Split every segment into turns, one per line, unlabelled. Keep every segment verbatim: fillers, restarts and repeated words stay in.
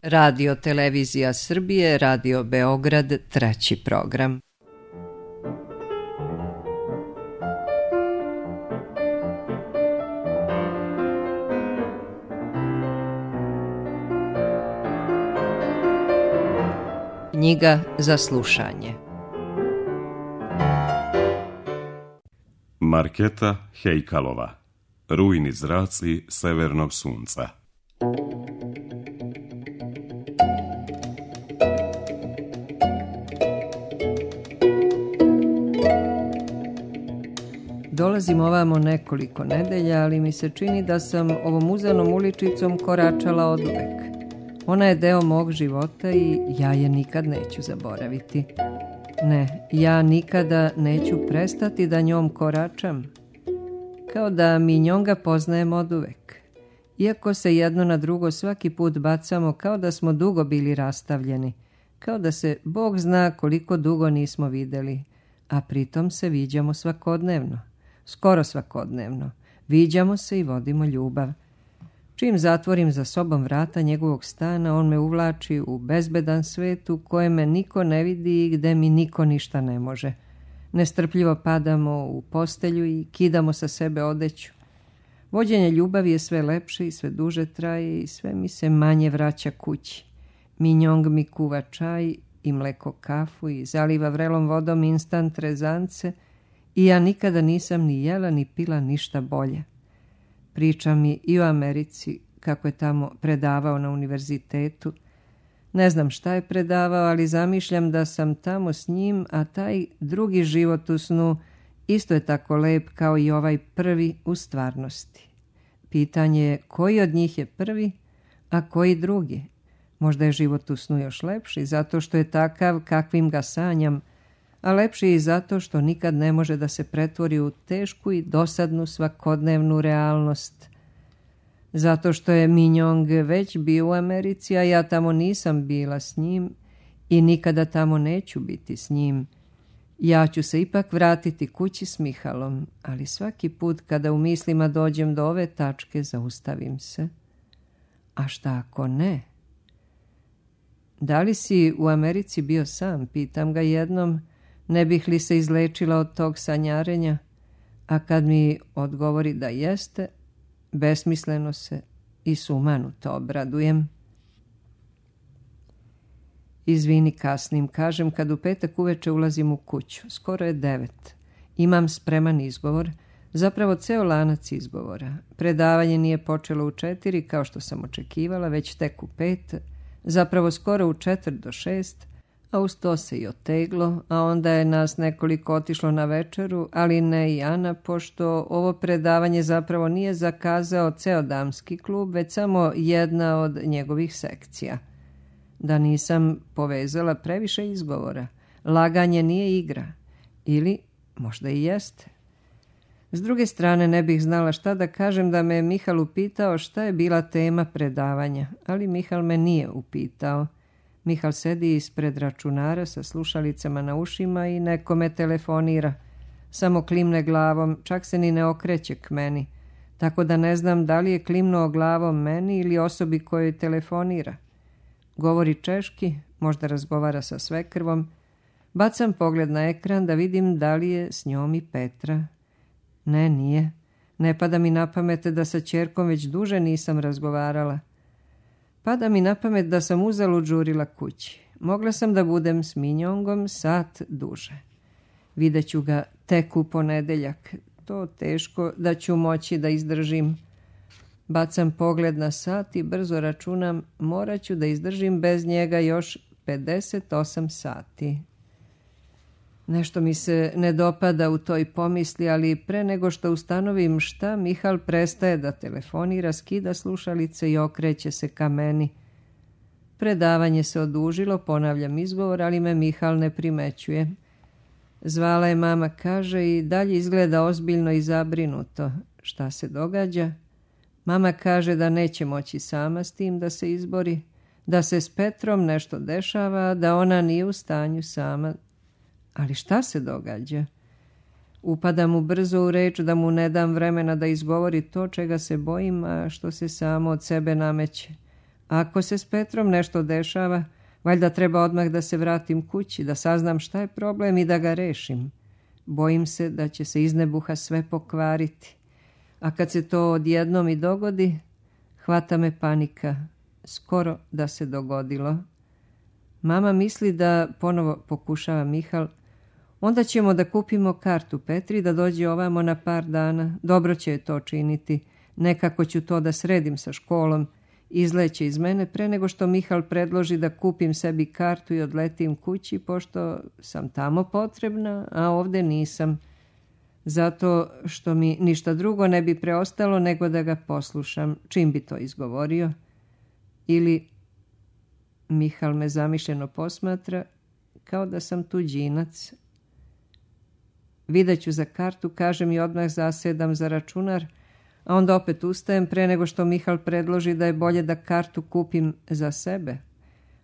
Radio Televizija Srbije, Radio Beograd, treći program. Knjiga za slušanje.
Marketa Hejkalova. Rujni zraci severnog sunca.
Dolazim ovamo nekoliko nedelja, ali mi se čini da sam ovom uzanom uličicom koračala oduvek. Ona je deo mog života i ja je nikad neću zaboraviti. Ne, ja nikada neću prestati da njom koračam. Kao da mi njonga poznajem oduvek. Iako se jedno na drugo svaki put bacamo kao da smo dugo bili rastavljeni. Kao da se Bog zna koliko dugo nismo videli, a pritom se viđamo svakodnevno. Skoro svakodnevno. Viđamo se i vodimo ljubav. Čim zatvorim za sobom vrata njegovog stana, on me uvlači u bezbedan svet u kojem me niko ne vidi i gde mi niko ništa ne može. Nestrpljivo padamo u postelju i kidamo sa sebe odeću. Vođenje ljubavi je sve lepše i sve duže traje i sve mi se manje vraća kući. Minjong mi kuva čaj i mleko kafu i zaliva vrelom vodom instant rezance i ja nikada nisam ni jela ni pila ništa bolje. Priča mi i o Americi, kako je tamo predavao na univerzitetu. Ne znam šta je predavao, ali zamišljam da sam tamo s njim, a taj drugi život u snu isto je tako lep kao i ovaj prvi u stvarnosti. Pitanje je koji od njih je prvi, a koji drugi. Možda je život u snu još lepši, zato što je takav kakvim ga sanjam, a lepši i zato što nikad ne može da se pretvori u tešku i dosadnu svakodnevnu realnost. Zato što je Minjong već bio u Americi, a ja tamo nisam bila s njim i nikada tamo neću biti s njim. Ja ću se ipak vratiti kući s Mihalom, ali svaki put kada u mislima dođem do ove tačke, zaustavim se. A šta ako ne? Da li si u Americi bio sam? Pitam ga jednom. Ne bih li se izlečila od tog sanjarenja? A kad mi odgovori da jeste, besmisleno se i sumanuto obradujem. Izvini, kasnim, kažem kad u petak uveče ulazim u kuću. Skoro je devet. Imam spreman izgovor, zapravo ceo lanac izgovora. Predavanje nije počelo u četiri, kao što sam očekivala, već tek u pet, zapravo skoro u četvrt do šest, a uz to se i oteglo, a onda je nas nekoliko otišlo na večeru, ali ne i Ana, pošto ovo predavanje zapravo nije zakazao ceo damski klub, već samo jedna od njegovih sekcija. Da nisam povezala previše izgovora. Laganje nije igra. Ili možda i jeste. S druge strane ne bih znala šta da kažem da me Mihal upitao šta je bila tema predavanja, ali Mihal me nije upitao. Mihal sedi ispred računara sa slušalicama na ušima i nekome telefonira. Samo klimne glavom, čak se ni ne okreće k meni. Tako da ne znam da li je klimnuo glavom meni ili osobi kojoj telefonira. Govori češki, možda razgovara sa svekrvom. Bacam pogled na ekran da vidim da li je s njom i Petra. Ne, nije. Ne pada mi na pamet da sa ćerkom već duže nisam razgovarala. Pada mi na pamet da sam uzalud žurila kući. Mogla sam da budem s Minjongom sat duže. Vidjet ću ga tek u ponedeljak. To teško da ću moći da izdržim. Bacam pogled na sat i brzo računam, morat ću da izdržim bez njega još pedeset osam sati. Nešto mi se ne dopada u toj pomisli, ali pre nego što ustanovim šta, Mihal prestaje da telefonira, skida slušalice i okreće se ka meni. Predavanje se odužilo, ponavljam izgovor, ali me Mihal ne primećuje. Zvala je mama, kaže, i dalje izgleda ozbiljno i zabrinuto. Šta se događa? Mama kaže da neće moći sama s tim da se izbori, da se s Petrom nešto dešava, da ona nije u stanju sama. Ali šta se događa? Upadam mu brzo u reč da mu ne dam vremena da izgovori to čega se bojim, a što se samo od sebe nameće. Ako se s Petrom nešto dešava, valjda treba odmah da se vratim kući, da saznam šta je problem i da ga rešim. Bojim se da će se iz nebuha sve pokvariti. A kad se to odjednom i dogodi, hvata me panika. Skoro da se dogodilo. Mama misli da, ponovo pokušava Mihal, onda ćemo da kupimo kartu Petri da dođe ovamo na par dana. Dobro će je to činiti. Nekako ću to da sredim sa školom. Izleće iz mene pre nego što Mihal predloži da kupim sebi kartu i odletim kući, pošto sam tamo potrebna, a ovde nisam. Zato što mi ništa drugo ne bi preostalo nego da ga poslušam, čim bi to izgovorio. Ili Mihal me zamišljeno posmatra kao da sam tuđinac. Videću za kartu, kažem i odmah zasedam za računar, a onda opet ustajem pre nego što Mihal predloži da je bolje da kartu kupim za sebe.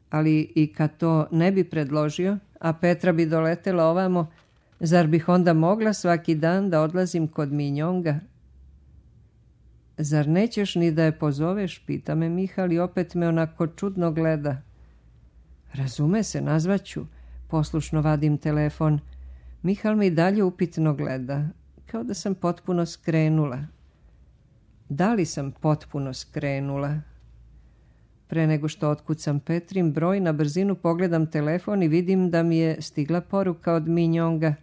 Ali i kad to ne bi predložio, a Petra bi doletela ovamo, zar bih onda mogla svaki dan da odlazim kod Minjonga? Zar nećeš ni da je pozoveš, pita me Mihal i opet me onako čudno gleda. Razume se, nazvaću. Poslušno vadim telefon. Mihal me i dalje upitno gleda, kao da sam potpuno skrenula. Da li sam potpuno skrenula? Pre nego što otkucam Petrin broj, na brzinu pogledam telefon i vidim da mi je stigla poruka od Minjonga.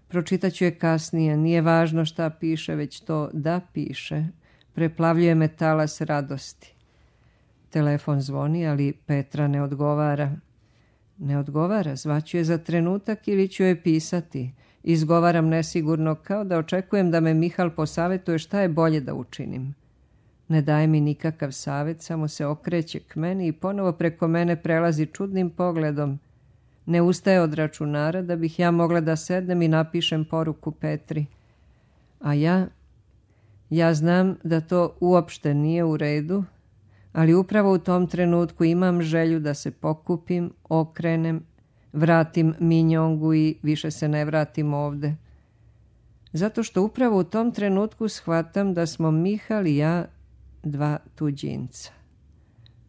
Pročitaću je kasnije, nije važno šta piše, već to da piše. Preplavljuje me talas radosti. Telefon zvoni, ali Petra ne odgovara. Ne odgovara, zvaću je za trenutak ili ću joj pisati. Izgovaram nesigurno, kao da očekujem da me Mihal posavetuje šta je bolje da učinim. Ne daje mi nikakav savet, samo se okreće k meni i ponovo preko mene prelazi čudnim pogledom. Ne ustaje od računara da bih ja mogla da sednem i napišem poruku Petri. A ja, ja znam da to uopšte nije u redu, ali upravo u tom trenutku imam želju da se pokupim, okrenem, vratim Minjongu i više se ne vratim ovde. Zato što upravo u tom trenutku shvatam da smo Mihal i ja dva tuđinca.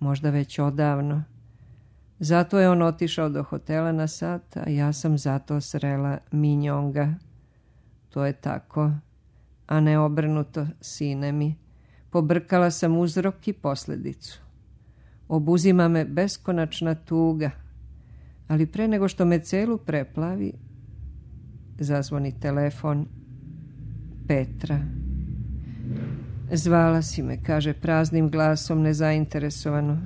Možda već odavno. Zato je on otišao do hotela na sat, a ja sam zato srela Minjonga. To je tako, a ne obrnuto, sine mi. Pobrkala sam uzrok i posljedicu. Obuzima me beskonačna tuga, ali pre nego što me celu preplavi, zazvoni telefon. Petra. Zvala si me, kaže praznim glasom, nezainteresovano.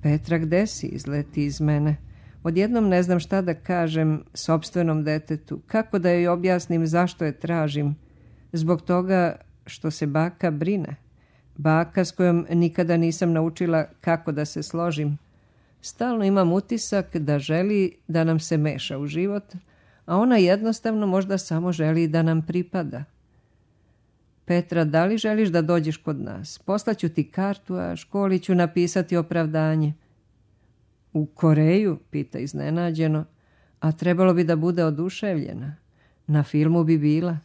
Petra, gde si? Izleti iz mene. Odjednom ne znam šta da kažem sopstvenom detetu. Kako da joj objasnim zašto je tražim? Zbog toga što se baka brine. Baka s kojom nikada nisam naučila kako da se složim. Stalno imam utisak da želi da nam se meša u život, a ona jednostavno možda samo želi da nam pripada. Petra, da li želiš da dođeš kod nas? Poslaću ti kartu, a školi ću napisati opravdanje. U Koreju, pita iznenađeno, a trebalo bi da bude oduševljena. Na filmu bi bila.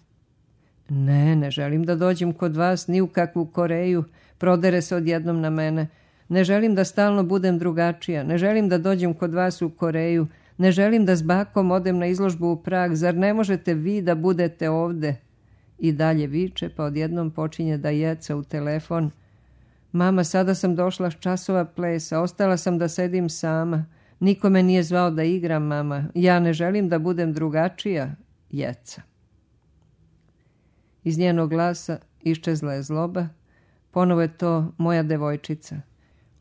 Ne, ne želim da dođem kod vas ni u kakvu Koreju, prodere se odjednom na mene. Ne želim da stalno budem drugačija, ne želim da dođem kod vas u Koreju, ne želim da s bakom odem na izložbu u Prag, zar ne možete vi da budete ovde? I dalje viče, pa odjednom počinje da jeca u telefon. Mama, sada sam došla s časova plesa, ostala sam da sedim sama. Niko me nije zvao da igram, mama. Ja ne želim da budem drugačija, jeca. Iz njenog glasa iščezla je zloba. Ponovo je to moja devojčica.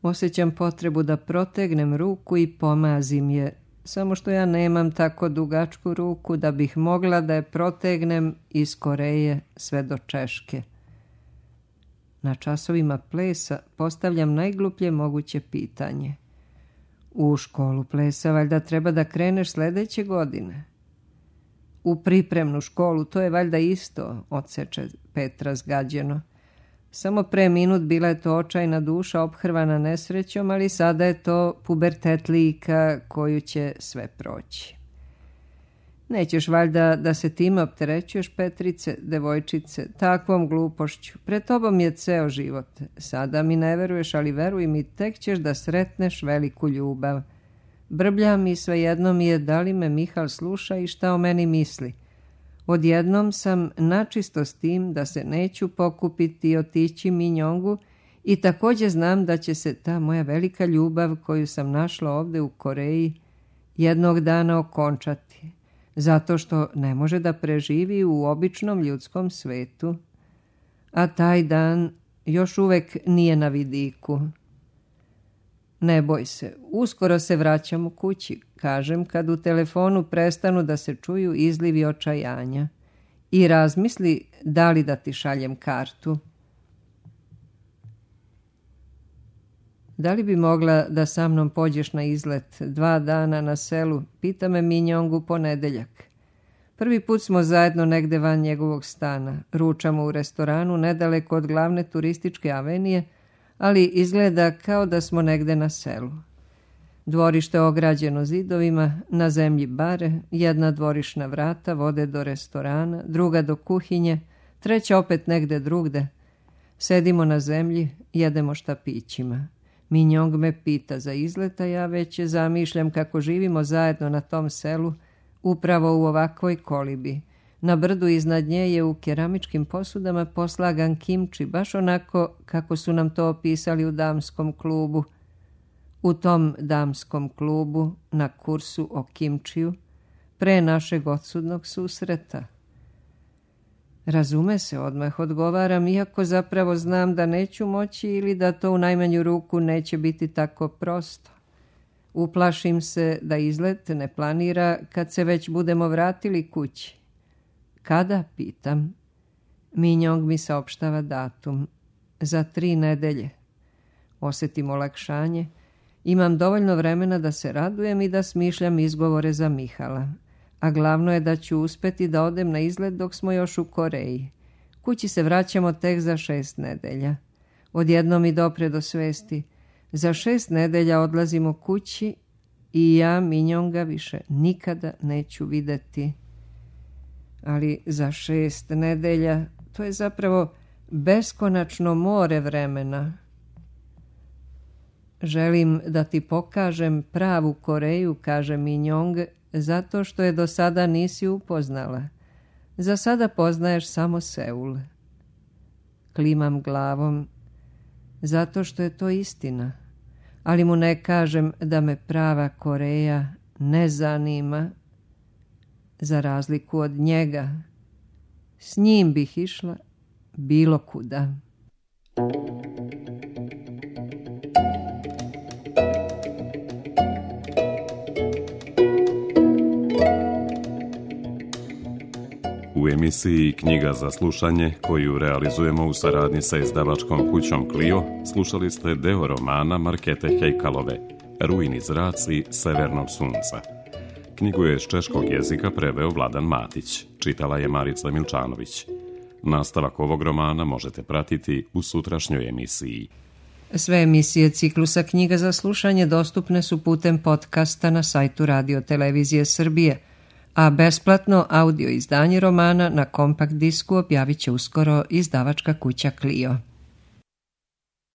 Osjećam potrebu da protegnem ruku i pomazim je, samo što ja nemam tako dugačku ruku da bih mogla da je protegnem iz Koreje sve do Češke. Na časovima plesa postavljam najgluplje moguće pitanje. U školu plesa valjda treba da kreneš sledeće godine. U pripremnu školu, to je valjda isto, odseče Petra zgađeno. Samo pre minut bila je to očajna duša ophrvana nesrećom, ali sada je to pubertet lika koju će sve proći. Nećeš valjda da se time opterećuješ, Petrice, devojčice, takvom glupošću. Pred tobom je ceo život. Sada mi ne veruješ, ali veruj mi, tek ćeš da sretneš veliku ljubav. Brbljam i svejedno mi je da li me Mihal sluša i šta o meni misli. Odjednom sam načisto s tim da se neću pokupiti i otići Minjongu i također znam da će se ta moja velika ljubav koju sam našla ovdje u Koreji jednog dana okončati, zato što ne može da preživi u običnom ljudskom svetu, a taj dan još uvek nije na vidiku. Ne boj se, uskoro se vraćam u kući, kažem kad u telefonu prestanu da se čuju izlivi očajanja, i razmisli da li da ti šaljem kartu. Da li bi mogla da sa mnom pođeš na izlet dva dana na selu, pita me Minjong u ponedeljak. Prvi put smo zajedno negde van njegovog stana, ručamo u restoranu nedaleko od glavne turističke avenije, ali izgleda kao da smo negde na selu. Dvorište ograđeno zidovima, na zemlji bare, jedna dvorišna vrata vode do restorana, druga do kuhinje, treća opet negde drugde. Sedimo na zemlji, jedemo štapićima. Minjong me pita za izlet, a ja već zamišljam kako živimo zajedno na tom selu, upravo u ovakvoj kolibi. Na brdu iznad nje je u keramičkim posudama poslagan kimči, baš onako kako su nam to opisali u damskom klubu. U tom damskom klubu, na kursu o kimčiju, pre našeg odsudnog susreta. Razume se, odmah odgovaram, iako zapravo znam da neću moći ili da to u najmanju ruku neće biti tako prosto. Uplašim se da izlet ne planira kad se već budemo vratili kući. Kada, pitam. Minjong mi saopštava datum. Za tri nedelje. Osjetim olakšanje. Imam dovoljno vremena da se radujem i da smišljam izgovore za Mihala. A glavno je da ću uspeti da odem na izlet dok smo još u Koreji. Kući se vraćamo tek za šest nedelja. Odjednom mi dopre do svesti. Za šest nedelja odlazimo kući i ja Minjonga više nikada neću videti. Ali za šest nedelja to je zapravo beskonačno more vremena. Želim da ti pokažem pravu Koreju, kaže Minjong, zato što je do sada nisi upoznala. Za sada poznaješ samo Seul. Klimam glavom, zato što je to istina, ali mu ne kažem da me prava Koreja ne zanima, za razliku od njega. S njim bih išla bilo kuda.
U emisiji Knjiga za slušanje, koju realizujemo u saradnji sa izdavačkom kućom Clio, slušali ste deo romana Markete Hejkalove, Rujni zraci severnog sunca. Knjigu je s češkog jezika preveo Vladan Matić, čitala je Marica Milčanović. Nastavak ovog romana možete pratiti u sutrašnjoj emisiji.
Sve emisije ciklusa Knjiga za slušanje dostupne su putem podcasta na sajtu Radio Televizije Srbije, a besplatno audio izdanje romana na kompakt disku objavit će uskoro izdavačka kuća Clio.